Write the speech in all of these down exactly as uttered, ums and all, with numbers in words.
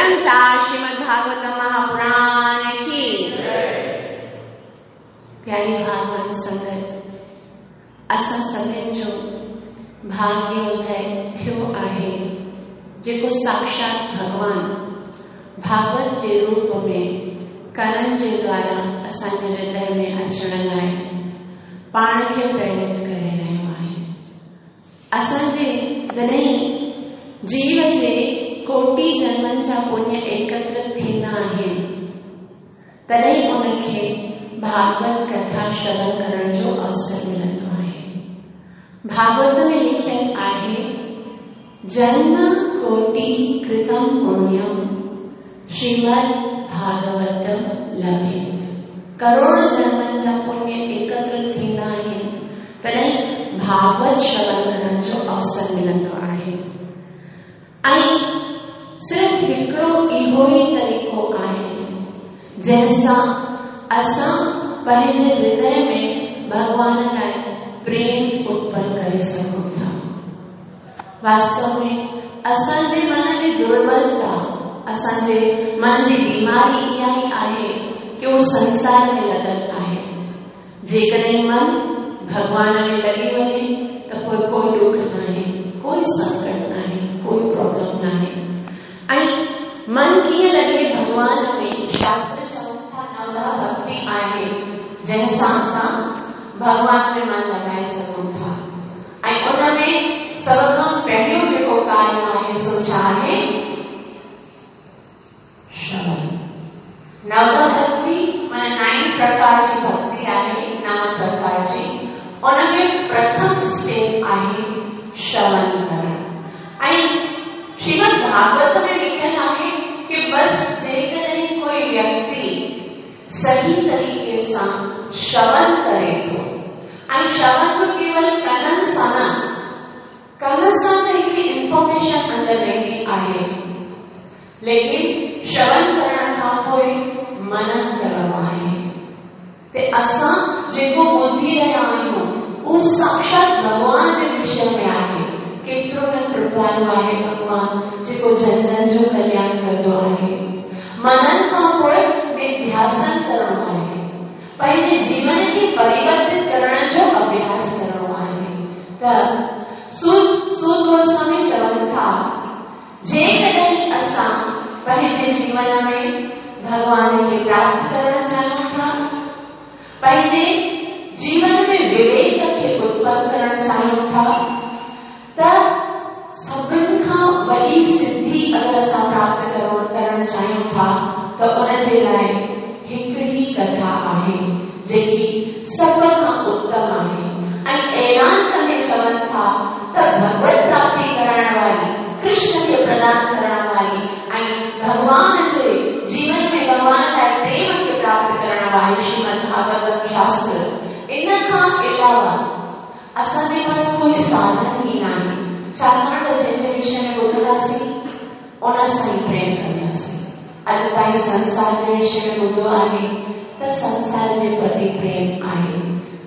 ग्रंथ श्रीमद् भागवत महापुराण की। प्यारी भागवत संगत, असां सभिनि जो भाग्योदय थियो आहे जेको साक्षात भॻवान भागवत जे रूप में करण जे द्वारा असांजे हृदय में अचण लाइ पाण खे प्रेरित करे रहियो आहे। असांजे जॾहिं जीव जे कोटि जन्मनि जा पुण्य एकत्रित थींदा आहिनि तॾहिं उनखे भागवत कथा श्रवण करण जो अवसर मिलंदो आहे। भागवत में लिखियल आहे, जन्म कोटि कृतम पुण्यम श्रीमद् भागवतम लभेत। करोड़ जन्मनि जा पुण्य एकत्रित थींदा आहिनि तॾहिं भागवत श्रवण करण जो अवसर मिलंदो आहे। ऐं सिर्फ़ हिकिड़ो इहो ई तरीक़ो आहे जंहिंसां असां पंहिंजे हृदय में भॻवान लाइ प्रेम उत्पन्न करे सघूं था। वास्तव में असांजे मन जी दुर्बलता, असांजे मन जी बीमारी इहा ई आहे की उहो संसार में लॻल आहे। जेकॾहिं मन भॻवान में लॻी वञे त पोइ कोई ॾुख न आहे, कोई संकट न आहे, कोई प्रॉब्लम न आहे। ऐं मन कीअं लॻे भॻवान में, शास्त्र चवनि था नवधा भक्ति आहे जंहिंसां असां भॻवान में मन लॻाए सघूं था। ऐं उन में सभ खां पहिरियों जेको कार्य आहे सो छा आहे? श्रवण। नवधा भक्ति माना नाइन प्रकार जी भक्ति आहे, नव प्रकार जी। उन में प्रथम स्टेप आहे श्रवण करण। ऐं श्रीमद् भागवत में लिखियल आहे कि बस जेकॾहिं कोई व्यक्ति सही तरीक़े सां श्रवण करे थो, ऐं श्रवण बि केवल कननि सां न, कन सां त हिकिड़ी इंफॉर्मेशन अंदरि वेंदी आहे, लेकिन श्रवण करण खां पोइ मनन करणो आहे। त असां जेको ॿुधी रहिया आहियूं उहो साक्षात भॻवान जे विषय में आहे। केतिरो न कृपालु आहे भॻवान जेको जन जन जो कल्याण कंदो आहे। मनन खां पोइ निध्यासन करणो आहे, पंहिंजे जीवन खे परिवर्तित करण जो अभ्यास करणो आहे। त सूत सूत गोस्वामी चवनि था, जेकॾहिं असां पंहिंजे जीवन में भॻवान खे प्राप्त करण चाहियूं था, पंहिंजे जीवन में विवेक खे उत्पन्न करण चाहियूं था, त सभिनि खां वॾी सिद्धि अगरि असां प्राप्त करणु चाहियूं था त उन जे लाइ हिकिड़ी कथा आहे जेकी सभ खां उत्तम आहे। ऐं ऐलान कंदे चवनि था त भगवत प्राप्ति करण वारी, कृष्ण खे प्रदान करण वारी ऐं भॻवान जे जीवन में भॻवान लाइ प्रेम खे प्राप्त करण वारी श्रीमद् भागवत शास्त्र। इन खां अलावा असांजे पास कोई साधन ई न आहे, छाकाणि त जंहिंजे विषय में ॿुधंदासीं उन सां ई प्रेम कंदासीं। अॼु ताईं संसार जे विषय में ॿुधो आहे त संसार जे प्रति प्रेम आहे,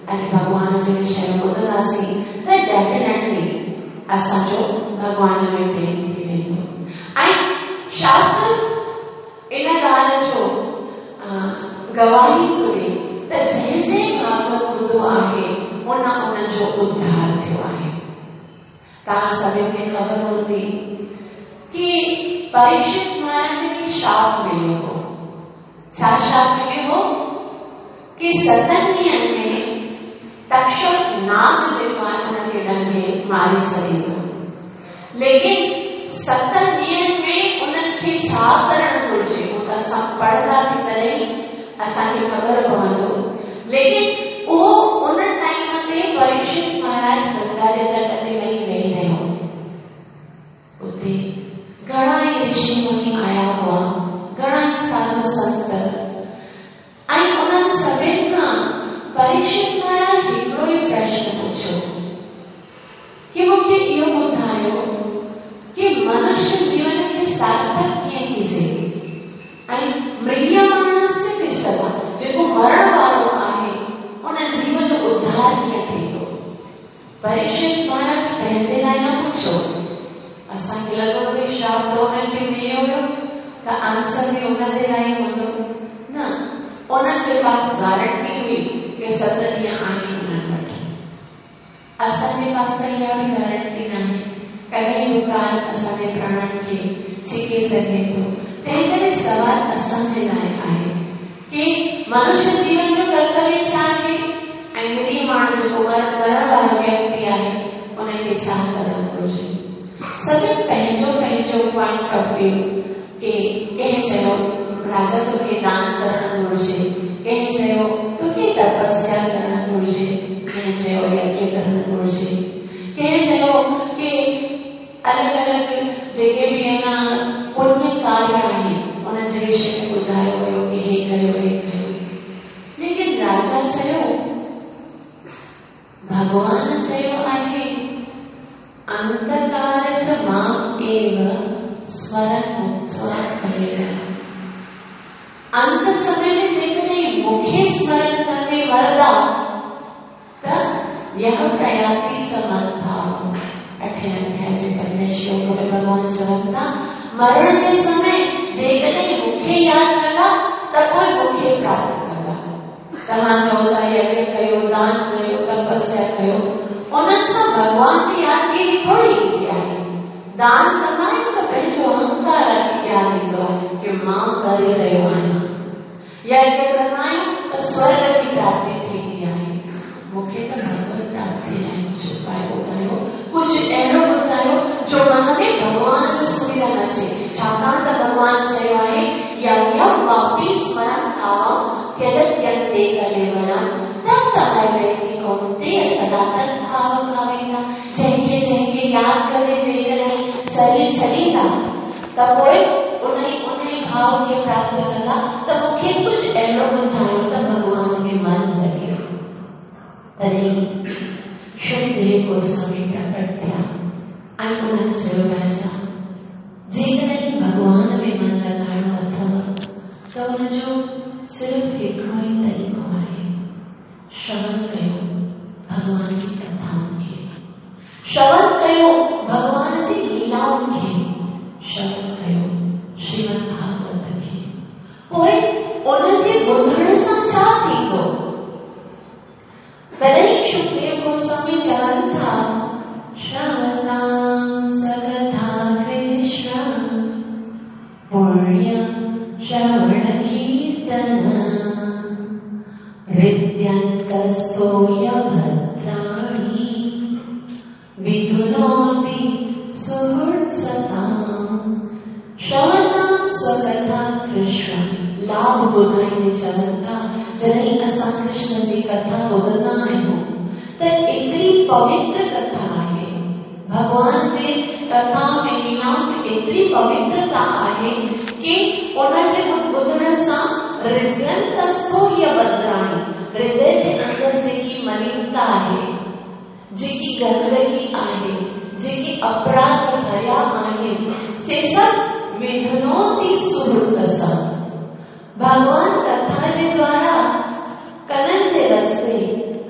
अॼु भॻवान जे विषय में ॿुधंदासीं त डेफिनेटली असांजो भॻवान में प्रेम थी वेंदो। ऐं शास्त्र इन ॻाल्हि जो गवाही थो ॾिए त जंहिं जंहिं भागवत ॿुधो आहे उन उन जो उद्धार थियो आहे। तव्हां सभिनि खे ख़बर हूंदी की परीक्षित महाराज खे श्राप मिलियो हो। छा श्राप मिलियो हो? की सतनि ॾींहंनि में तक्षक नाग जेको आहे हुनखे ॾंगे मारे छॾींदो, लेकिन सतनि ॾींहंनि में उन्हनि खे छा करणु घुरिजे उहो त असां पढ़ंदासीं तॾहिं असांखे ख़बर पवंदो। लेकिन उहो उन टाइम ते परीक्षित महाराज गंगा जे तट ते वञी वेही रहियो। उते घणा ई ऋषि मुनि आया हुआ, घणा ई साधु संत, ऐं उन्हनि सभिनि खां परीक्षित महाराज हिकिड़ो ई प्रश्न पुछियो की मूंखे इहो ॿुधायो की मनुष्य जीवन खे सार्थक कीअं कीजे ऐं म्रियमाणस्य तिष्ठता, जेको मरण वारो आहे उन जीव जो उद्धार कीअं थींदो। परीक्षित महाराज पंहिंजे लाइ न पुछियो, असांखे लॻो भई श्राप त हुननि खे मिलियो हुयो त आंसर बि उनजे लाइ हूंदो न। उन्हनि जे पास गारंटी हुई की सत ॾींहं आहिनि उन्हनि वटि। असांजे पास त इहा बि गारंटी न आहे, कॾहिं बि काल असांजे प्राणनि खे छिके सघे थो। तंहिंकरे सवाल असांजे लाइ आहे की मनुष्य जीवन जो कर्तव्य छा आहे ऐं म्रियमाण जेको मरण वारो व्यक्ति आहे उनखे छा करणु घुरिजे। सभिनि पंहिंजो पंहिंजो पॉइंट ऑफ व्यू की कंहिं चयो राजा तोखे दान करणु घुरिजे, कंहिं चयो तोखे तपस्या करणु घुरिजे, कंहिं चयो यज्ञ करणु घुरिजे, कंहिं चयो की अलॻि अलॻि जेके बि अञा पुण्य कार्य आहिनि उनजे विषय में ॿुधायो वियो की हे कयो हे कयो। लेकिन राजा चयो भॻवान चयो आहे अंतकाल च मां एव स्मरण मुक्त्वा करेगा। अंत समय में जेकॾहिं मूंखे स्मरण कंदे वरदा त यह प्रयाति समद्भाव। अठे अध्याय जे पंजे श्लोक में भॻवान चवनि था मरण जे समय जेकॾहिं मूंखे यादि कंदा त पोइ मूंखे प्राप्त कंदा। तव्हां चओ था यज्ञ कयो, दान कयो, तपस्या कयो, उन्हनि सां भॻवान जी यादगिरी थोरी ईंदी आहे। दान कंदा आहियूं त पंहिंजो अहंकार यादि ईंदो आहे की मां करे रहियो आहियां। यज्ञ कंदा आहियूं त स्वर्ग जी प्राप्ति थींदी आहे। मूंखे त भगवत प्राप्ति लाइ कुझु उपाय ॿुधायो, कुझु अहिड़ो ॿुधायो जो मन में भॻवान जो सुमिरन अचे। छाकाणि त भॻवान चयो आहे यम यम वापि स्मरण भावं त्यजत्यन्ते कलेवरं तम तमय कौन्तेय सदा तद्भाव भावेन। जंहिंखे जंहिंखे यादि करे जेकॾहिं शरीर छॾींदा त पोइ उन उन भाव खे प्राप्त कंदा। त मूंखे कुझु अहिड़ो ॿुधायो त भॻवान में मन लॻे। तॾहिं शुकदेव गोस्वामी प्रकट थिया ऐं उन्हनि चयो राजा जेकॾहिं भॻवान में मन लॻाइणो अथव त उनजो सिर्फ़ हिकिड़ो ई तरीक़ो आहे, श्रवण कयो भॻवान जी कथाउनि खे, श्रवण कयो भॻवान जी लीलाउनि खे, श्रवण कयो श्रीमद् भागवत खे। पोइ उनजे ॿुधण सां छा थींदो? तॾहिं शुकदेव गोस्वामी चवनि था श्रवतां सकथा कृष्ण पुण्य श्रवण कीर्तन हृद्यन्तस्थो यभद्राणि विधुनोति सुहृत्सतां। श्रवतां स्वकथा कृष्ण लाभ ॿुधाईंदे चवनि था जॾहिं असां कृष्ण जी कथा ॿुधंदा आहियूं त एतिरी पवित्र कथा आहे, भॻवान जे कथा में लीलाउनि में एतिरी पवित्रता आहे की उनजे ॿुधण सां हृदयंतस्थो यभद्राणि, हृदय जे अंदरि जेकी मलिनता आहे, जेकी गंदगी आहे, जेके अपराध भरिया आहिनि, से सभु विधुनोति सुहृत सां। भॻवान कथा जे द्वारा कननि जे रस्ते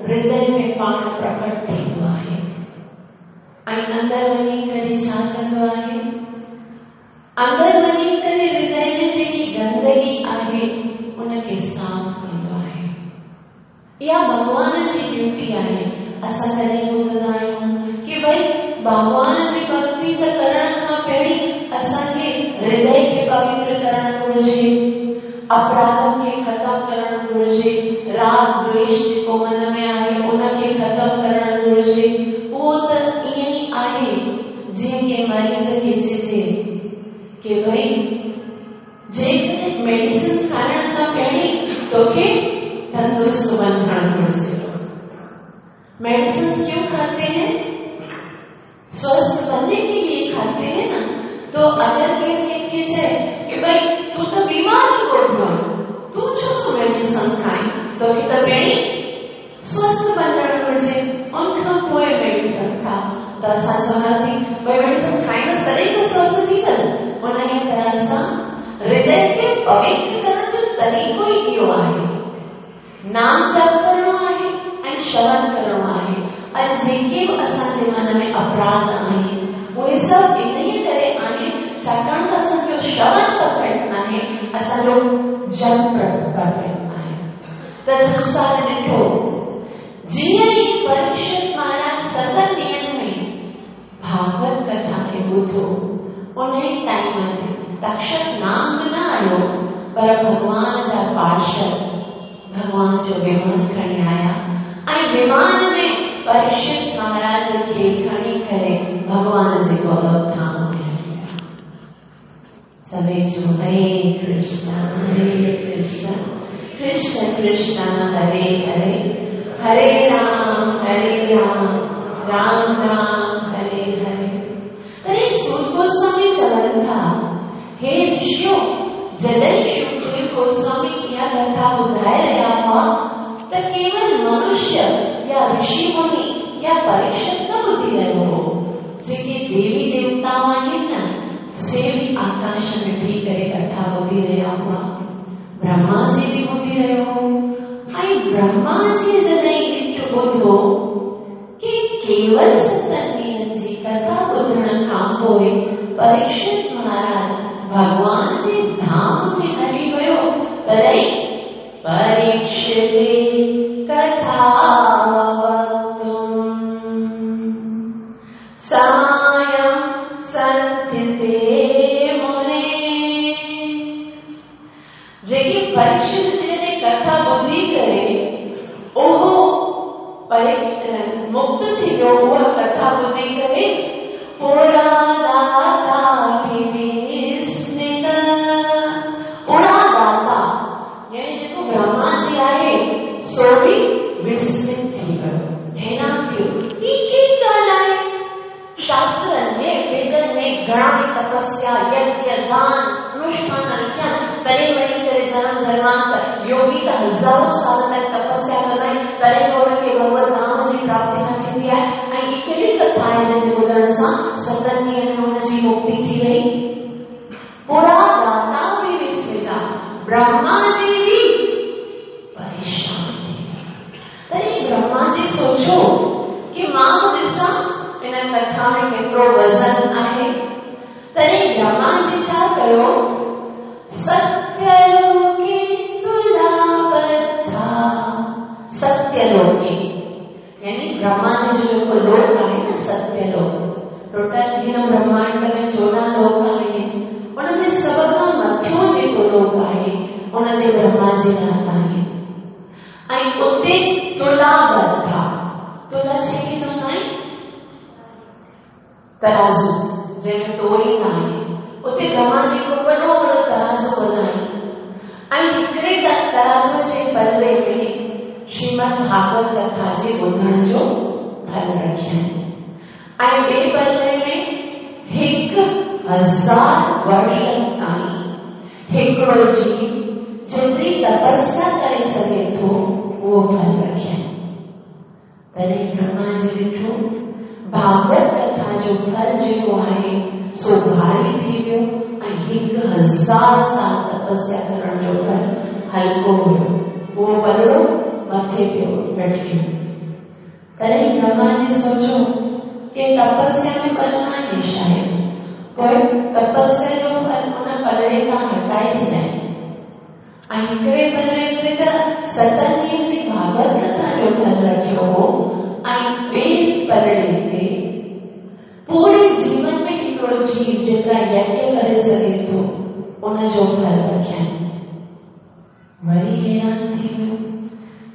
हृदय में पाण प्रकट थींदो आहे ऐं अंदरि वञी करे छा कंदो आहे? अंदरि वञी करे हृदय में जेकी गंदगी आहे उनखे साफ़ कंदो आहे। इहा भॻवान जी ड्यूटी आहे। असां कॾहिं ॿुधंदा आहियूं की भई भॻवान जी भक्ति त करण खां पहिरीं असांखे हृदय खे पवित्र करणु घुरिजे, अपराधनि खे ख़तमु करणु घुरिजे, राग द्वेष जेको मन में आहे उनखे ख़तमु करणु घुरिजे। उहो त ईअं ई आहे जीअं कंहिं मरीज़ खे चइजे की भई जेकॾहिं मेडिसिन खाइण सां पहिरीं तोखे तंदुरुस्त बणजणु घुरिजे। मेडिसिन क्यों खाते हैं? स्वस्थ बनने के लिए खाते हैं ना। तो अगर कंहिंखे चए की भई तूं त बीमार ई कोन आहीं, तूं छो थो मेडिसिन खाईं, तोखे त पहिरीं स्वस्थ बणजणु घुरिजे, उन खां पोइ मेडिसिन खा। त असां चवंदासीं भई मेडिसिन खाईंदसि तॾहिं त स्वस्थ थींदसि। उन तरह सां हृदय खे पवित्र करण जो तरीक़ो ई इहो आहे, नाम जप करणो आहे ऐं श्रवण करणो आहे। ऐं जेके बि असांजे मन में अपराध आहिनि उहे सभु इन करे आहिनि छाकाणि त असांजो श्रवण परफेक्ट न आहे। आहे, असांजो जन्म परफेक्ट नाहे। त संसार ॾिठो जीअं ई परीक्षित महाराज सतनि ॾींहंनि में भागवत कथा खे ॿुधो, उन ई टाइम ते तक्षक नांग न आयो, पर भॻवान जा पार्षद भॻवान जो विमान खणी आया ऐं विमान में परीक्षित महाराज खे खणी करे भॻवान जे गोलोक धाम में हली विया। सभई चयो हरे कृष्ण हरे कृष्ण कृष्ण कृष्ण हरे हरे, हरे राम हरे राम राम राम हरे हरे। तॾहिं सूत गोस्वामी चवनि था, हे ऋषियो, जॾहिं सुखदेव गोस्वामी इहा कथा ॿुधाए रहिया हुआ त केवल मनुष्य या ऋषि मुनि या परीक्षित न ॿुधी रहियो हो, जेके देवी देवताऊं आहिनि न, से बि आकाश में बीह करे कथा ॿुधी रहिया हुआ। ब्रह्मा जी बि ॿुधी रहियो हो। ऐं ब्रह्मा जी जॾहिं ॾिठो ॿुधो की केवल सतनि ॾींहंनि जी कथा ॿुधण खां पोइ परीक्षित महाराज भॻवान जे धाम में हली वियो, तॾहिं परीक्षिते कथा वक्तुम सायं संथिते मुने। जेके परीक्षित जे कथा ॿुधी करे उहो मुक्त थी वियो, उहा कथा ॿुधी करे पुरादाता विस्मित। पुरादाता यानी जेको ब्रह्मा जी आहे सो बि विस्मित थी वियो, हैरान थियो, हीअ कहिड़ी ॻाल्हि आहे? शास्त्रनि में वेदनि में घणा ई तपस्या, यज्ञ, दान, अनुष्ठान कया, तॾहिं वञी करे जन्म जन्मांतर योगी त हज़ारों साल ताईं तपस्या कंदा आहिनि, तॾहिं उन्हनि खे भगवत धाम जी प्राप्ति न थींदी आहे। ऐं हीअ कहिड़ी कथा आहे जंहिंजे ॿुधण सां सतनि ॾींहंनि में हुनजी मुक्ति थी वई? पुरादाता बि विस्मिता, ब्रह्मा जी बि परेशान थी विया। तॾहिं ब्रह्मा जी सोचियो की मां ॾिसां इन कथा में केतिरो वज़न आहे। तॾहिं ब्रह्मा जी छा कयो, सत्यलोके तुलाबद्धा। सत्यलोके यानी ब्रह्मा जी जो जेको लोक आहे न सत्यलोक, टोटल हिन ब्रह्मांड में चोॾहं लोक आहिनि, उन में सभ खां मथियों जेको लोक आहे उन ते ब्रह्मा जी रहंदा आहिनि। ऐं उते तुलाबद्धा, तुला जेके चवंदा आहिनि तराज़ू, जंहिंमें तोरींदा आहिनि, उते ब्रह्मा जी हिकिड़ो वॾो वॾो तराज़ू ॿधाई ऐं हिकिड़े तराज़ू जे पलड़े में श्रीमद भागवत कथा जे ॿुधण जो फल रखियनि ऐं ॿिए पलड़े में हिकु हज़ार वर्षनि ताईं हिकिड़ो जीव जेतिरी तपस्या करे सघे थो उहो फल रखियनि। तॾहिं ब्रह्मा जी ॾिठो भागवत कथा जो फल जेको आहे सो भारी थी वियो ऐं हिकु हज़ार साल तपस्या करण जो फल हल्को हुयो, उहो पलड़ो मथे पियो लटकियो। तॾहिं ब्रह्मा जी सोचियो की तपस्या में बल न आहे, शायदि पोइ तपस्या जो फल उन पलड़े तां हटाए छॾाए। ऐं हिकिड़े पलड़े ते त सतनि ॾींहंनि जी भागवत कथा जो फल रखियो हो ऐं ॿिए पलड़े ते पूरे जीवन में हिकिड़ो जीव जेतिरा यज्ञ करे सघे थो उनजो फल रखियनि। वरी हैरान थी वियो,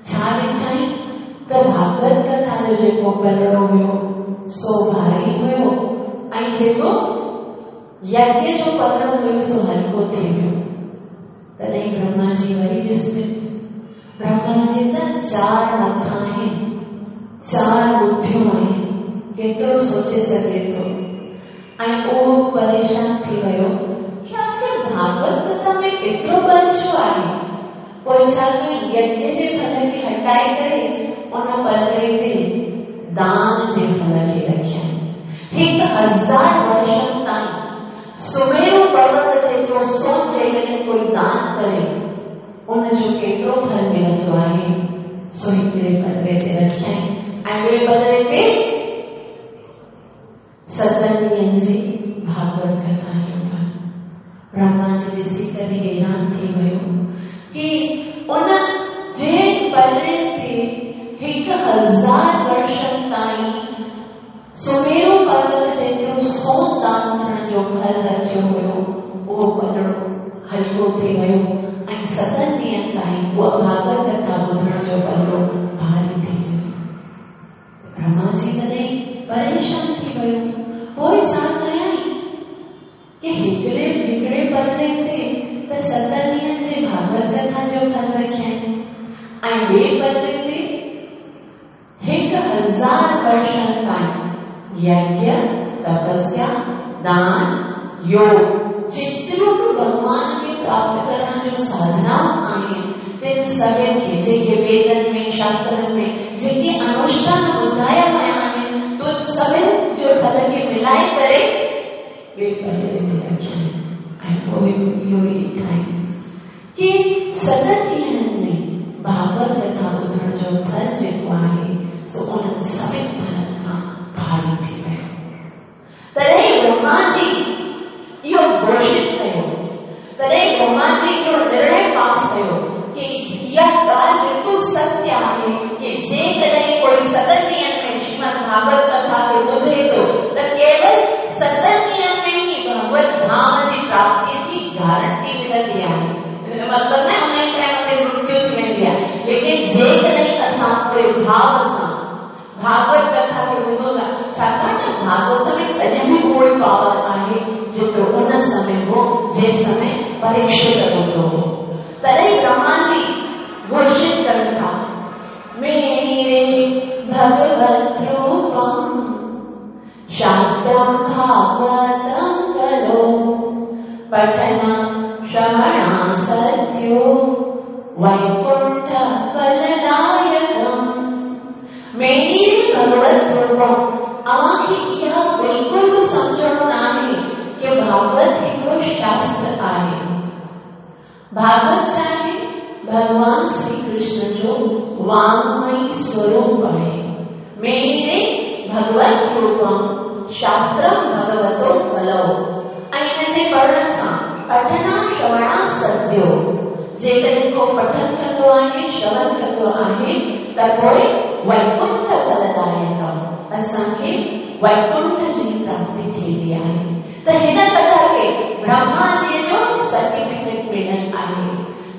छा ॾिठई त भागवत कथा जो जेको पलड़ो हुयो सो भारी हुयो ऐं जेको यज्ञ जो पलड़ो हुयो सो हल्को थी वियो। तॾहिं ब्रह्मा जी वरी विस्मित। ब्रह्मा जी जा चारि मथा आहिनि, चारि बुद्धियूं आहिनि, केतिरो सोचे सघे थो। ऐं उहो परेशान थी वियो की आख़िर भागवत कथा में एतिरो बल छो आहे? पोइ छा कयईं, यज्ञ जे फल खे हटाए करे उन पलड़े ते दान जे फल खे रखियनि। हिकु हज़ार वर्षनि ताईं सुमेरू पर्वत जेतिरो सोन जेकॾहिं कोई दान करे उनजो केतिरो फल मिलंदो आहे सो हिकिड़े पलड़े ते रखियईं ऐं ॿिए पलड़े ते सतनि ॾींहंनि जी भागवत कथा जो फल। ब्रह्मा जी ॾिसी करे फल रखियो हुयो उहो पलड़ो हल्को थी वियो ऐं सतनि ॾींहंनि ताईं उहा भागवत कथा ॿुधण जो पलड़ो भारी थी वियो। ब्रह्मा जी तॾहिं परेशान थी वियो। पोइ छा कयईं की हिकिड़े हिकिड़े पलड़े ते त सत ॾींहंनि जे भागवत कथा जो फल रखियईं ऐं ॿिए पलड़े ते हिकु हज़ार वर्षनि ताईं यज्ञ, तपस्या, दान, योग जेतिरो बि भॻवान खे प्राप्त करण जो साधनाऊं आहिनि तिन सभिनी खे जेके वेदनि में, शास्त्रनि में जेके अनुष्ठान ॿुधाया विया आहिनि तुन सभिनी जो फल खे मिलाए करे ॿिए पलड़े ते रखियईं ऐं पोइ इहो ई ॾिठाईं की सतनि ॾींहंनि में भागवत कथा ॿुधण जो फल जेको आहे सो उन्हनि सभिनी फलनि खां भारी थी वियो। तॾहिं ब्रह्मा जी इहो घोषित कयो, तॾहिं ब्रह्मा जी इहो निर्णय पास कयो की इहा ॻाल्हि बिल्कुलु सत्य आहे की जेकॾहिं कोई सतनि ॾींहंनि में श्रीमद् भागवत कथा खे ॿुधे थो त केवल सतनि ॾींहंनि में ई भगवत धाम जी प्राप्तीअ जी गारंटी मिलंदी आहे। मतिलबु न हुन ई टाइम ते मृत्यु थी वेंदी आहे, लेकिन जेकॾहिं असां पूरे भाव सां भागवत कथा खे ॿुधूं था, छाकाणि त भागवत में अॼु बि उहो ई पावर आहे जेतिरो उन समय हो जंहिं समय परीक्षित ॿुधो हो। तॾहिं ब्रह्मा जी घोषित कनि था, मेरे भगवत रूपम शास्त्रं भागवतं कलो पठना श्रवणा सत्यो वैकुंठ फलदायकम्। मेरी भगवत रूपम, अव्हांखे इहा बिल्कुलु बि सम्झणो न आहे की भागवत हिकिड़ो शास्त्र आहे। भागवत छा आहे? भॻवान श्री कृष्ण जो वाङ्मयी स्वरूप आहे। मेरे भगवत रूपम शास्त्रं भगवतो कलौ, ऐं हिन जे पढ़ण सां पठना श्रवणा सद्यो, जेकॾहिं को पठन कंदो आहे, श्रवण कंदो आहे त पोइ वैकुंठ फलदायकम, असांखे वैकुंठ जी प्राप्ति थींदी आहे। त हिन कथा खे ब्रह्मा जी जो सर्टिफिकेट मिलियल आहे,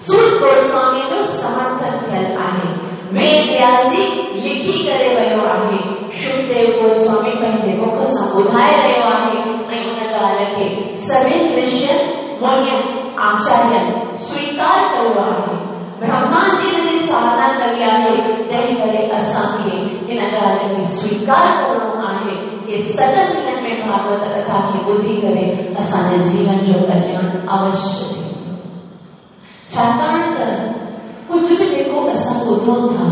सूत गोस्वामी जो समर्थन थियल आहे, वेद व्यास जी लिखी करे वियो आहे, शुकदेव गोस्वामी पंहिंजे मुख सां ॿुधाए रहियो आहे ऐं उन ॻाल्हि खे सभिनी ऋषियुनि, मुनियुनि, आचार्यनि स्वीकार कयो आहे। ब्रह्मा जी जी साधना कई आहे, तंहिं करे असांखे इन ॻाल्हि खे स्वीकार करिणो आहे की सतनि ॾींहंनि में भागवत कथा खे ॿुधी करे असांजे जीवन जो कल्याण अवश्य थींदो। छाकाणि त कुझु बि जेको असां ॿुधूं था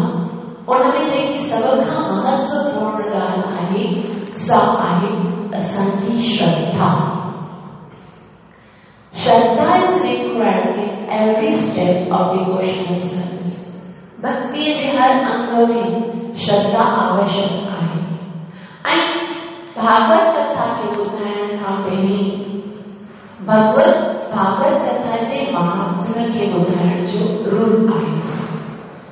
उन में जेकी सभ खां महत्वपूर्ण ॻाल्हि आहे सा आहे असांजी श्रद्धा। Shraddha is required in every step of devotional service. भक्ति जे हर अंग में श्रद्धा आवश्यक आहे। ऐं भागवत कथा खे ॿुधाइण खां पहिरीं भगवत भागवत कथा जे महात्म्य खे ॿुधाइण जो रूल आहे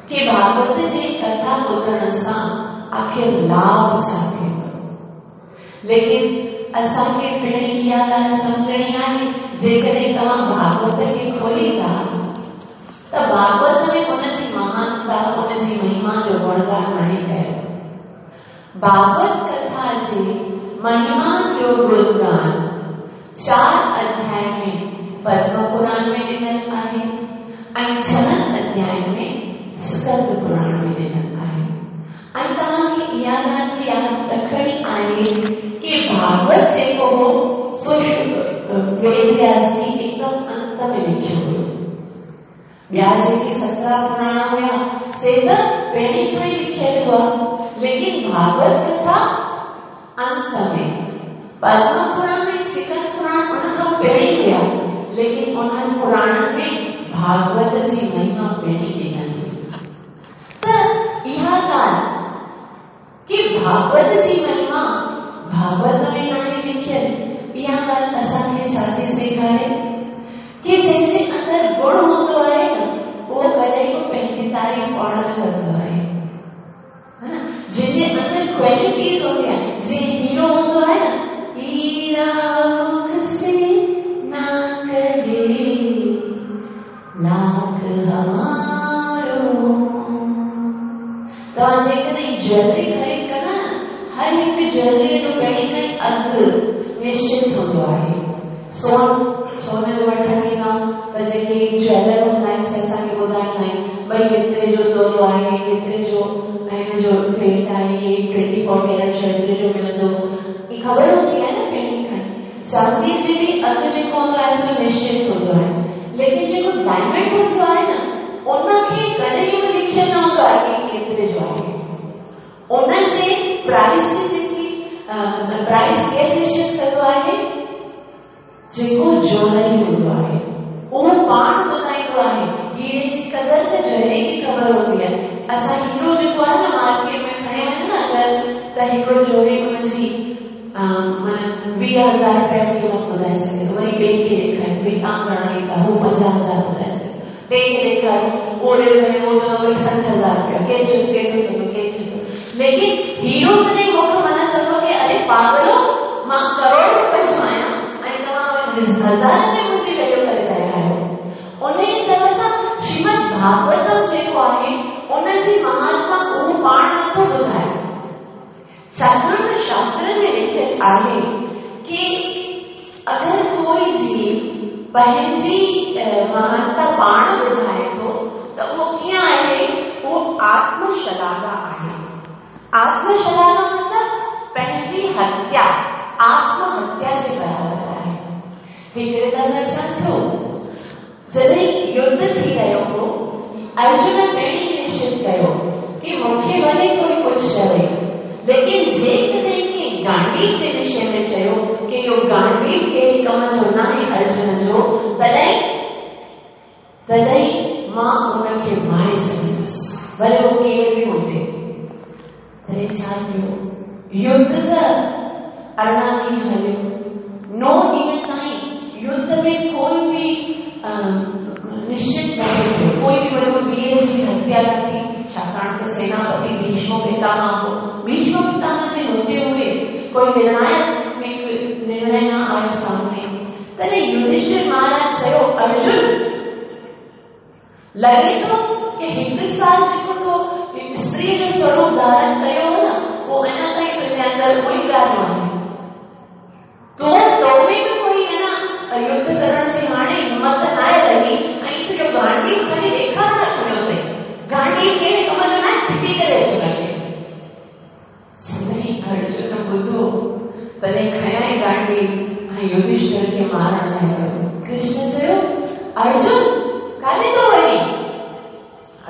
की भागवत जी कथा ॿुधण सां आख़िर लाभ छा थींदो। लेकिन असांखे पिणु इहा ॻाल्हि सम्झणी आहे, जेकॾहिं तव्हां भागवत खे खोलींदा त भागवत में उनजी महानता, उनजी महिमा जो गुणगान नाहे कयो। भागवत कथा जी महिमा जो गुणगान चार अध्याय में पद्म पुराण में ॾिनल आहे ऐं छहनि अध्याय में स्कंद पुराण में ॾिनल आहे। ऐं तव्हांखे इहा ॻाल्हि बि यादि रखणी आहे की भागवत जेको हो सो वेद व्यास जी एकदम अंत में लिखियो हुयो। ॿिया जेके सत्रहं पुराण हुया से त पहिरीं खां ई लिखियल हुआ, लेकिन भागवत कथा अंत में, पद्म पुराण ऐं स्कंद पुराण उन खां पहिरीं हुया, लेकिन उन्हनि पुराणनि में भागवत जी महिमा पहिरीं ॾिनल हुई। त इहा ॻाल्हि की भागवत जी महिमा भागवत में नाहे लिखियल, इहा ॻाल्हि असांखे छा थी सेखारे की जंहिंजे अंदरि गुण हूंदो आहे न उहो कॾहिं बि पंहिंजी तारीफ़ पाण न कंदो आहे, हा न। जंहिंजे अंदरि क्वालिटीज़ हूंदी आहे, जीअं हीरो हूंदो आहे न, हीरा मुख से लाख हमारो। तव्हां जेकॾहिं ज्वेलरी ख़रीद कंदा न, हर हिकु ज्वेलरीअ जो पहिरीं खां ई अघु निश्चित हूंदो आहे। सोन सोन जो वठण ईंदा त जेके ज्वेलर हूंदा आहिनि से असांखे ॿुधाईंदा आहिनि भई हेतिरे जो तोलो आहे, हेतिरे जो हिन जो रेट आहे, हे ट्वेंटी फोर कैरेट जो हेतिरे जो मिलंदो, इहा ख़बर हूंदी आहे न पहिरीं खां ई। चांदीअ जे बि अघु जेको हूंदो आहे सो निश्चित हूंदो आहे, लेकिन जेको डायमंड हूंदो आहे न उनखे कॾहिं बि लिखियल न हूंदो आहे की केतिरे जो आहे। उनजे प्राइस जी जेकी प्राइस केरु निश्चित कंदो आहे? जेको जोहरी हूंदो आहे उहो पाण ॿुधाईंदो आहे। हीरे जी कदर त जोहरी खे ख़बर हूंदी आहे। असां हीरो जेको आहे न मार्केट में खणी वञूं न अगरि त हिकिड़ो जोहरी हुनजी माना वीह हज़ार रुपया क़ीमत ॿुधाए सघे थो, वरी ॿिए खे ॾेखारे भई तव्हां घणा ॾींदा, हू पंजाह हज़ार ॿुधाए सघे, टे खे ॾेखारो उहो ॾेखारे उहो चवंदो वरी सठि हज़ार रुपया, केतिरो केतिरो थींदो केतिरो। लेकिन हीरो तॾहिं मूंखे मना चवंदो की अरे पागलो, मां करोड़ रुपए जो आहियां ऐं तव्हां हज़ारनि में मुंहिंजी वैल्यू करे रहिया आहियो। उन ई तरह सां श्रीमद भागवतम जेको आहे उनजी महात्मा उहो पाण नथो ॿुधाए, छाकाणि त शास्त्रनि में लिखियलु आहे की अगरि कोई जीव पंहिंजी महानता पाण ॿुधाए थो त उहो कीअं आहे? उहो आत्मशलाघा आहे। आत्मशलाघा मतिलबु पंहिंजी हत्या, आत्महत्या जे बराबरि आहे। हिकिड़े तरह सां थियो, जॾहिं युद्ध थी रहियो हो, अर्जुन पहिरीं निश्चित कयो की मूंखे भले कोई कुझु चवे, लेकिन जेकॾहिं कंहिं गांडीव जे विषय में चयो की इहो गांडीव कहिड़े कम जो न आहे अर्जुन जो, तॾहिं तॾहिं मां उनखे मारे छॾींदुसि, भले उहो केरु बि हुजे। तॾहिं छा थियो? युद्ध त अरिड़हं ॾींहं हलियो, नो ॾींहं ताईं युद्ध में कोई बि निश्चित न थियो, कोई बि वॾो वीर जी हत्या न थी, छाकाणि त सेनापति भीष्म पितामह हो। भीष्म पितामह जे हूंदे हुए कोई निर्णायक निर्णय न आयो सामने। तॾहिं युधिष्ठिर महाराज चयो, अर्जुन लॻे थो की हिकु साल जेको तो स्त्री जो स्वरूप धारण कयो हो न, उहो अञा ताईं तुंहिंजे अंदरि उहो ई ॻाल्हि आहे। तो तो में बि कोई अञा युद्ध करण जी हाणे हिमत न आहे रही, ऐं तुंहिंजो गांडीव खणी ॾेखार न खणियो अथई, गांडीव कहिड़े कम जो न आहे, फिटी करे अचो लॻे। जॾहिं अर्जुन ॿुधो तॾहिं खयाई गांडीव ऐं युधिष्ठिर खे मारण लाइ वियो। कृष्ण चयो, अर्जुन काॾे थो वञी?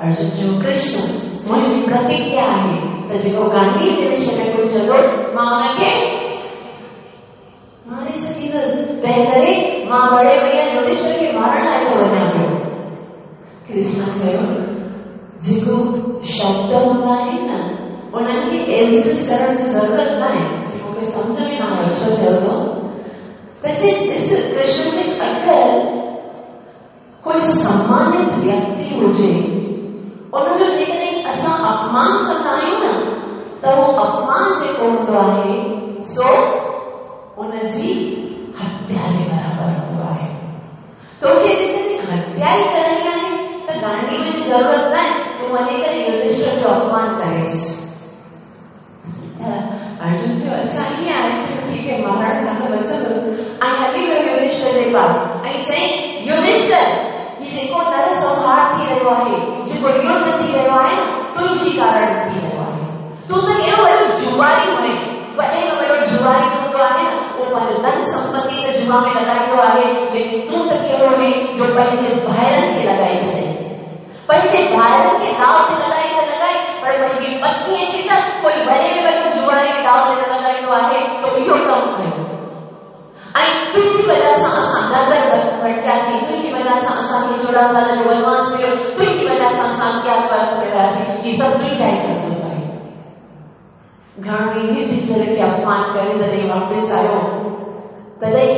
अर्जुन चयो, कृष्ण मुंहिंजी प्रतिज्ञा आहे त जेको गांडीव जे विषय में कुझु चवंदो मां हुनखे मारे छॾींदुसि, तंहिं करे मां बड़े भैया युधिष्ठिर खे मारण लाइ थो वञा पियो। कृष्ण चयो, जेको शब्द हूंदा आहिनि न उन्हनि खे एडजस्ट करण जी ज़रूरत न आहे। मूंखे सम्झ में न आयो छो चयो थो त जे ॾिस कृष्ण जे अगरि कोई सम्मानित व्यक्ति हुजे उनजो जेकॾहिं असां अपमान कंदा आहियूं न त उहो अपमान जेको हूंदो आहे सो उनजी हत्या जे बराबरि हूंदो आहे। तोखे जेकॾहिं हत्या ई करणी आहे त गांडीव जी ज़रूरत न आहे, तूं वञी करे युधिष्ठिर जो अपमान करे अच। अर्जुन चयो, अच्छा ईअं आहे, ठीकु आहे, मारण खां बचंदुसि। ऐं हली वियो युधिष्ठिर जे पास ऐं चयईं, युधिष्ठिर, हीउ जेको नरसंहार थी रहियो आहे, जेको युद्ध थी रहियो आहे, तुंहिंजी कारण थी रहियो आहे। तूं त केहिड़ो वॾो जुआरी हुई, वॾे में वॾो जुआरी हूंदो आहे न, उहो पंहिंजो धन संपत्ति त जुआ में लॻाईंदो आहे, लेकिन तूं त कहिड़ो हुई जो पंहिंजे भाइरनि खे लॻाए छॾे, पंहिंजे भाइरनि खे दाव ते लॻाए त लॻाए, पर पंहिंजी पत्नीअ खे त कोई वॾे में वॾो जुआरी दाव ते न लॻाईंदो आहे, त इहो कमु कयो। ऐं तुंहिंजी वजह सां असां दर दर भटकियासीं, तुंहिंजी वजह सां असांखे चोॾहं साल जो वनवास मिलियो, तुंहिंजी वजह सां असां अज्ञातवास में वियासीं, इहे सभु तुंहिंजा ई करतूत आहिनि। घणो ई युधिष्ठिर खे अपमान करे जॾहिं वापसि आयो तॾहिं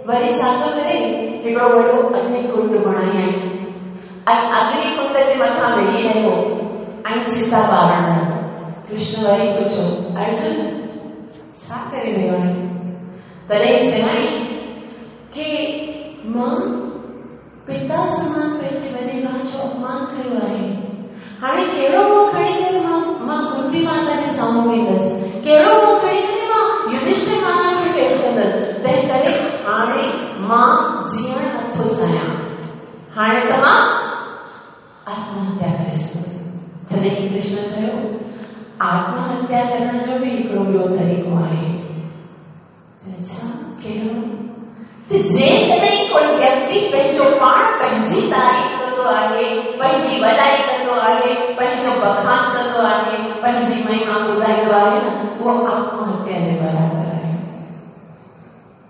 वरी छा थो करे, हिकिड़ो वॾो अग्निकुंड बणायाईं ऐं अग्निकुंड जे मथां वेही रहियो ऐं चिता ॿारण लॻो। कृष्ण वरी पुछियो, अर्जुन छा करे रहियो आहे? तॾहिं चयईं की मां पिता पिता समान पंहिंजे वॾे भाउ जो अपमान कयो आहे। हाणे कहिड़ो मुंहुं खणी करे मां मां कुंती माता जे साम्हूं वेंदसि, कहिड़ो मुंहुं खणी करे मां युधिष्ठिर महाराज खे फेस कंदसि। तंहिं करे हाणे मां जीअण नथो चाहियां, हाणे त मां आत्महत्या करे छॾींदुसि। तॾहिं कृष्ण चयो आत्महत्या करण जो बि हिकिड़ो ॿियो तरीक़ो आहे। अच्छा, कहिड़ो? त जेकॾहिं कोई व्यक्ति पंहिंजो पाण पंहिंजी तारीफ़ कंदो आहे, पंहिंजी वॾाई कंदो आहे, पंहिंजो बखान कंदो आहे, पंहिंजी महिमा ॿुधाईंदो आहे न, उहो आत्महत्या जे बराबरि आहे।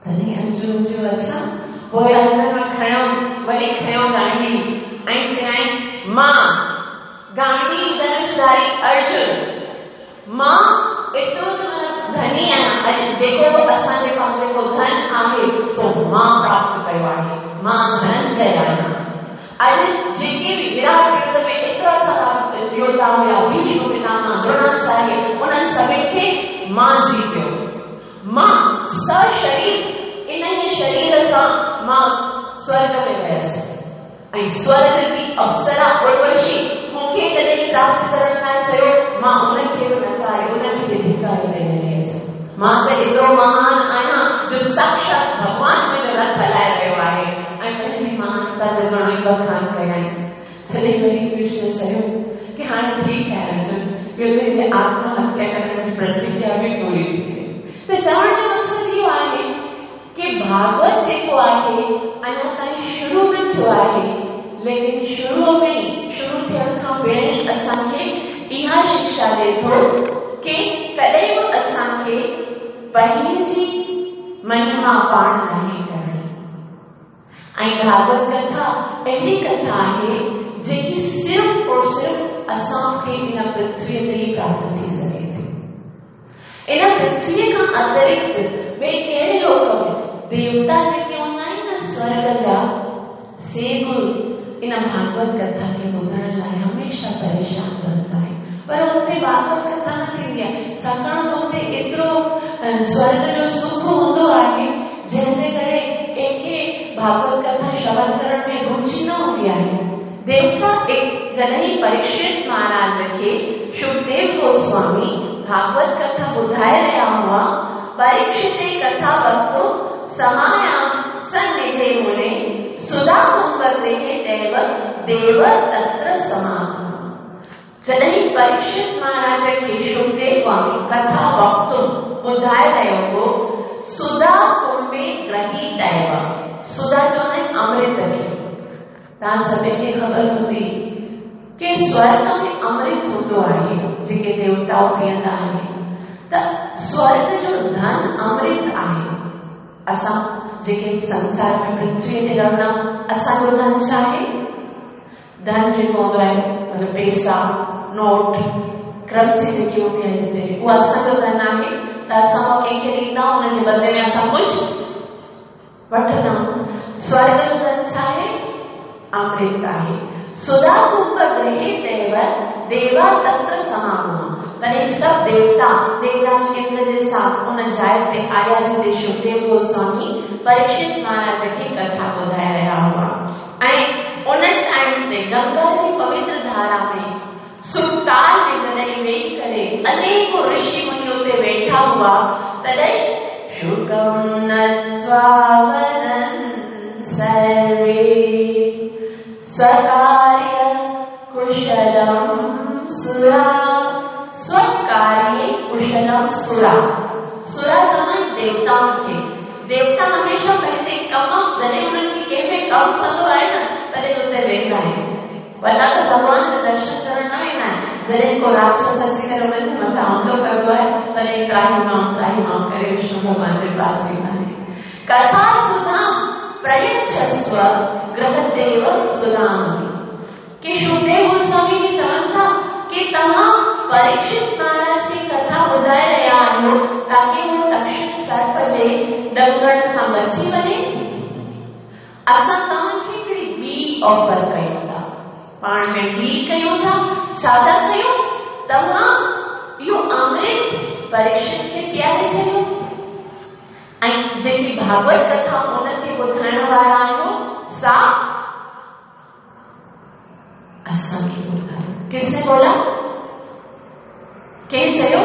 तॾहिं अर्जुन चयो अच्छा, पोइ अंदर मां खयो, वरी खयो गांडी ऐं चयाईं मां गांडी धनुषधारी अर्जुन, मां एतिरो त धनी आहियां, ऐं जेको बि असांजे पास जेको धन आहे सो मां प्राप्त कयो आहे, मां धनंजय आहियां। अॼु जेके बि विराट युद्ध में एतिरा सारा योद्धा हुया, भीष्म पितामह, द्रोणाचार्य, उन्हनि सभिनी खे मां जीतियो, मां सशरीर इन शरीर खां मां स्वर्ग में वियसि ऐं स्वर्ग जी अप्सरा उर्वशी मूंखे जॾहिं प्राप्त करण लाइ चयो, मां उनखे बि नकारे, उनखे बि धिकारी ॾेई रहियसि। मां त एतिरो महान आहियां जो साक्षात भॻवान मुंहिंजो रथ हलाए रहियो आहे ऐं पंहिंजी महानता जो घणो ई बखान कयाईं। तॾहिं वरी कृष्ण चयो की हाणे ठीकु आहे अर्जुन, इहो तुंहिंजी आत्महत्या करण जी प्रतिज्ञा बि पूरी थी वई। त चवण जो मक़सदु इहो आहे की भागवत जेको आहे अञा ताईं शुरू न थियो आहे, लेकिन शुरू में शुरू थियण खां पहिरीं असांखे इहा शिक्षा ॾिए थो की कॾहिं बि असांखे पंहिंजी महिमा पाण नाहे करणी। ऐं भागवत कथा अहिड़ी कथा आहे जेकी सिर्फ़ और सिर्फ़ असांखे इन पृथ्वीअ ते ई प्राप्त थी सघे थी। इन पृथ्वीअ खां अतिरिक्त ॿिए कहिड़े लोक में देवता जेके हूंदा आहिनि न स्वर्ग जा, से बि इन भागवत कथा खे ॿुधण लाइ हमेशह परेशान रहंदा आहिनि, पर हुते भागवत कथा न थींदी आहे, छाकाणि त हुते एतिरो स्वर्ग जो सुख हूंदो आहे जंहिंजे करे कंहिंखे भागवत कथा श्रवण करण में रुचि न हूंदी आहे। देवता जॾहिं परीक्षित महाराज खे सुखदेव गोस्वामी भागवत कथा ॿुधाए रहिया हुआ, परीक्षित कथा वक्तु समायां सन्निधे मुने सुधा कुंभगृहे देव देव तत्र समागम। जॾहिं परीक्षित महाराज खे सुखदेव स्वामी कथा वक्तु ॿुधाए रहियो हो, सुधा कुंभे ग्रही दैव, सुधा चवंदा आहिनि अमृत खे। तव्हां सभिनी खे ख़बर हूंदी की स्वर्ग में अमृत हूंदो आहे जेके देवताऊं पीअंदा आहिनि, त स्वर्ग जो धन अमृत आहे। असां जेके संसार में पृथ्वीअ ते रहंदा आहियूं, असांजो धन छा आहे? धन जेको हूंदो आहे मतलब पैसा, नोट, करेंसी जेकी हूंदी आहे जिते, उहा असांजो धन आहे। त असां उहा कंहिंखे ॾींदा आहियूं, हुनजे बदिले में असां कुझु वठंदा आहियूं। स्वर्ग जो धन छा आहे? अमृत आहे। सुधा कुंभ गृहे देव देवा तत्र समागम। तॾहिं सभु देवता देवराज इंद्र जे साथ उन जाइ ते आया जिते सुखदेव गोस्वामी परीक्षित महाराज खे कथा ॿुधाए रहिया हुआ ऐं उन टाइम ते गंगा जी पवित्र धारा में सुखताल में जॾहिं वेही करे अनेको ऋषि मुनि उते वेठा हुआ, तॾहिं शुकं नत्वा वदन् सर्वे स्वकार्य कुशलं सुरा। स्वकार्ये कुशलं सुरा। सुरा चवंदा आहिनि देवताउनि खे। देवता हमेशह पंहिंजे कम जॾहिं हुननि खे कंहिं में कमु कंदो आहे न, तॾहिं उते वेंदा आहिनि। वॾा त भॻवान जो दर्शन करण न वेंदा आहिनि। जॾहिं को राक्षस अची करे हुननि जे मथां हमलो कंदो आहे, तॾहिं त्राही माम त्राही माम करे विष्णु भॻवान जे पास वेंदा आहिनि। कथा सुधा प्रयच्छस्व गृहदेव सुधाम। की सुखदेव गोस्वामी खे चवनि था की तव्हां परीक्षित महाराज खे कथा ॿुधाए रहिया आहियो ताकी उहो तक्षक सर्प जे ॾंगण सां बची वञे। असां तव्हांखे हिकिड़ी ॿी ऑफर कयूं था, पाण में डील कयूं था। छा था कयूं? तव्हां इहो अमृत परीक्षित खे पीआरे छॾियो ऐं जेकी भागवत कथा उनखे ॿुधाइण वारा आहियो सा असांखे ॿुधायो। किसने बोला? कंहिं चयो?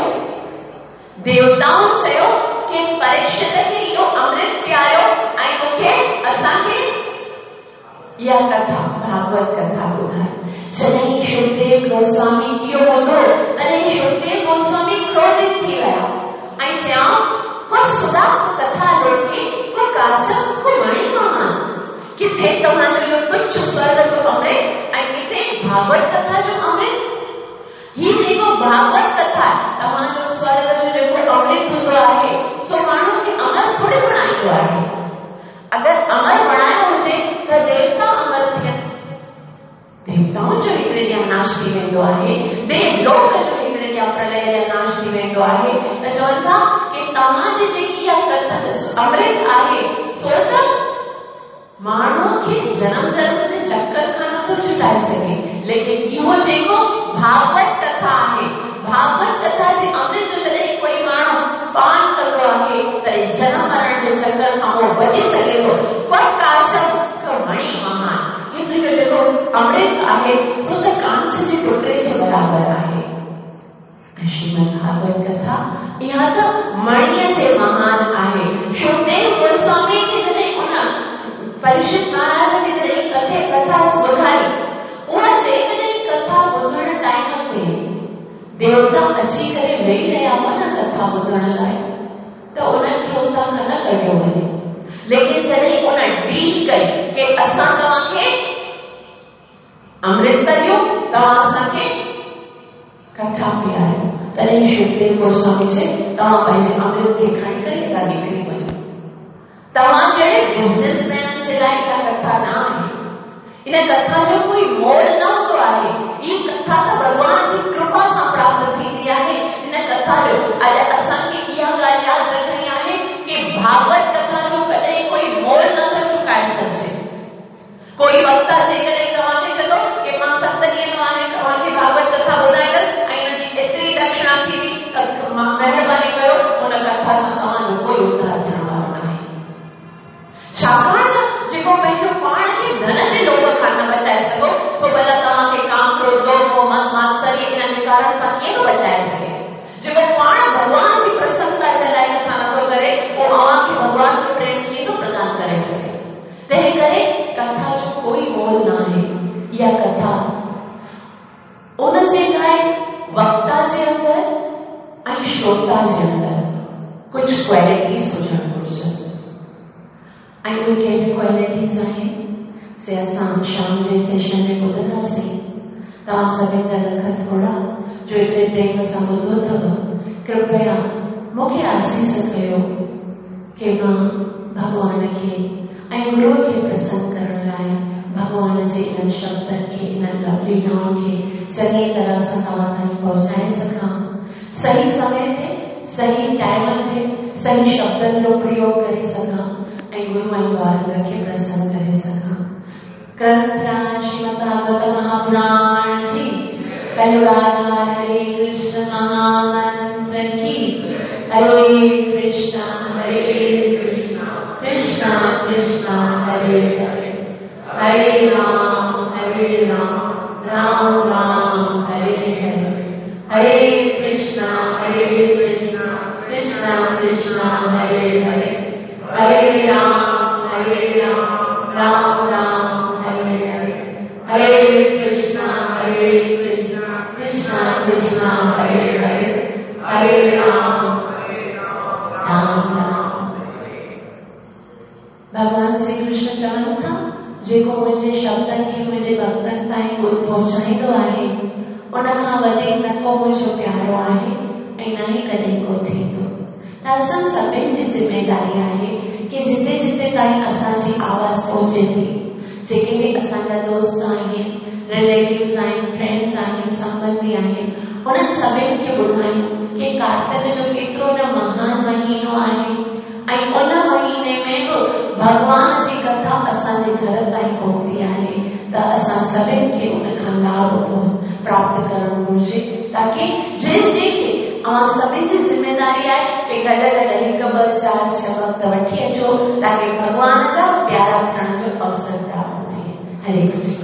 देवताउनि चयो की परीक्षित खे इहो अमृत पीआरियो ऐं मूंखे असांखे इहा कथा भागवत कथा ॿुधायो। जॾहिं शुकदेव गोस्वामी इहो ॿुधो तॾहिं शुकदेव गोस्वामी क्रोधित थी विया ऐं चयऊं को सुधा को कथा लोके को काचम को मणि महान, किथे तव्हांजो इहो तुच्छ स्वर्ग जो अमृत ऐं किथे भागवत कथा जो अमृत। ही जेको भागवत कथा तव्हांजो स्वर्ग जो जेको अमृत हूंदो आहे सो माण्हू खे अमर थोरी बणाईंदो आहे। अगरि अमर बणायो हुजे त देवता अमर थियनि, देवताउनि जो हिकिड़े ॾींहुं नाश थी वेंदो आहे, देवलोक जो हिकिड़े ॾींहुं प्रलय जा नाश थी वेंदो आहे। त चवनि था की तव्हांजी जेकी इहा कथा अमृत आहे सो त माण्हू खे जनम जन्म जे चक्कर खां नथो छुटाए सघे, लेकिन इहो जेको भागवत कथा आहे, भागवत कथा जे अमृत जो जॾहिं कोई माण्हू पान कंदो आहे तॾहिं जनम मरण जे चक्कर खां उहो बची सघे थो। पर काशम मणि महान, इहो जेको अमृत आहे सो त कांच जे टुकड़े जे बराबरि आहे। ऐं श्रीमद भागवत कथा इहा त मणीअ जे महान आहे। शुकदेव गोस्वामी खे जॾहिं उन परीक्षित महाराज खे जॾहिं कथे कथा ॿुधाई, उहा जेकॾहिं कथा ॿुधण टाइम ते देवता अची करे वेही रहिया हुआ न कथा ॿुधण लाइ, त उन्हनि खे उतां खां न कढियो वञे। लेकिन जॾहिं उन डील कई की असां तव्हांखे अमृत ॾियूं, तव्हां असांखे कथा पीआरियो, तॾहिं शुकदेव गोस्वामी चयो तव्हां पंहिंजे अमृत खे खणी करे हितां निकिरी वञो। तव्हां जहिड़े बिज़नेसमैन जे लाइ इहा कथा न आहे, इन कथा जो कोई मोल न हूंदो आहे। हीअ कथा त भॻवान जी कृपा सां प्राप्त थींदी आहे। इन कथा जो अॼु असांखे इहा ॻाल्हि यादि रखणी आहे की भागवत कथा जो कॾहिं कोई मोल नथो चुकाए सघिजे। कोई वक्ता जेकॾहिं तव्हांखे चवंदो की मां सत ॾींहं तव्हांखे भागवत कथा ॿुधाईंदसि ऐं हुनजी एतिरी दक्षिणा थींदी, त महिरबानी कयो उन कथा सां तव्हांजो कोई उद्धार थियण वारो न आहे। छाकाणि त जेको पंहिंजो पाण खे धन जे लोभ खां न बचाए सघो, सो भला तव्हांखे काम क्रोध लोभ मोह मद मात्सर्य इन्हनि विकारनि सां कीअं थो बचाए सघे? जेको पाण भॻवान जी प्रसन्नता जे लाइ कथा नथो करे, उहो अव्हांखे भॻवान जो प्रेम कीअं थो प्रदान करे सघे? तंहिं करे कथा जो कोई मोल न आहे। इहा कथा उन जे लाइ वक्ता जे अंदरि ऐं श्रोता जे अंदरि कुझु क्वालिटीज़ हुजणु घुर्जनि। ऐं उहे कहिड़ियूं क्वालिटीज़ आहिनि से असां शाम जे सेशन में ॿुधंदासीं। तव्हां सभिनी जा लख थोरा जो एतिरे प्रेम सां ॿुधो अथव। कृपया मूंखे आसीस कयो की मां भॻवान खे ऐं गुरूअ खे प्रसन्न करण लाइ भॻवान जे इन्हनि शब्दनि खे, इन्हनि लीलाउनि खे चङी तरह सां तव्हां ताईं पहुचाए सघां। सही समय ते, सही टाइम ते, सही शब्दनि जो प्रयोग करे सघां ऐं गुरू ऐं ॿारनि खे प्रसन्न करे सघां। ग्रंथराज श्रीमद् भागवत महापुराण जी कलयुगाधार हरे कृष्ण महामंत्र की। हरे कृष्णा हरे कृष्णा कृष्णा कृष्णा हरे हरे, हरे राम हरे राम राम राम हरे हरे, हरे कृष्णा हरे कृष्णा कृष्णा कृष्णा हरे हरे, हरे राम हरे राम राम राम हरे हरे, हरे कृष्णा हरे कृष्णा कृष्णा कृष्णा हरे हरे, हरे राम राम राम। भगवान श्री कृष्ण चवनि था जेको मुंहिंजे शब्दनि खे मुंहिंजे भक्तनि ताईं पहुचाईंदो आहे, उन खां वधीक न को मुंहिंजो प्यारो आहे ऐं न ई कॾहिं को थींदो। त असां सभिनी जी ज़िम्मेदारी आहे की जिते जिते ताईं असांजी आवाज़ पहुचे थी, जेके बि असांजा दोस्त आहिनि, रिलेटिव्स आहिनि, फ्रेंड्स आहिनि, संबंधी आहिनि, उन्हनि सभिनी खे ॿुधायूं की कार्तिक जो केतिरो न महान महीनो आहे ऐं उन महीने में बि भॻवान जी कथा असांजे घर ताईं पहुती आहे। त असां सभिनी खे उन खां लाभ प्राप्त करणु घुर्जे, ताकी जंहिं जंहिंखे अव्हां सभिनी जी ज़िम्मेदारी आहे की गॾु गॾु हिकु ॿ चारि छह वक़्त वठी अचो, ताकी भॻवान जा प्यारा थियण जो अवसर प्राप्त थिए। हरे कृष्ण।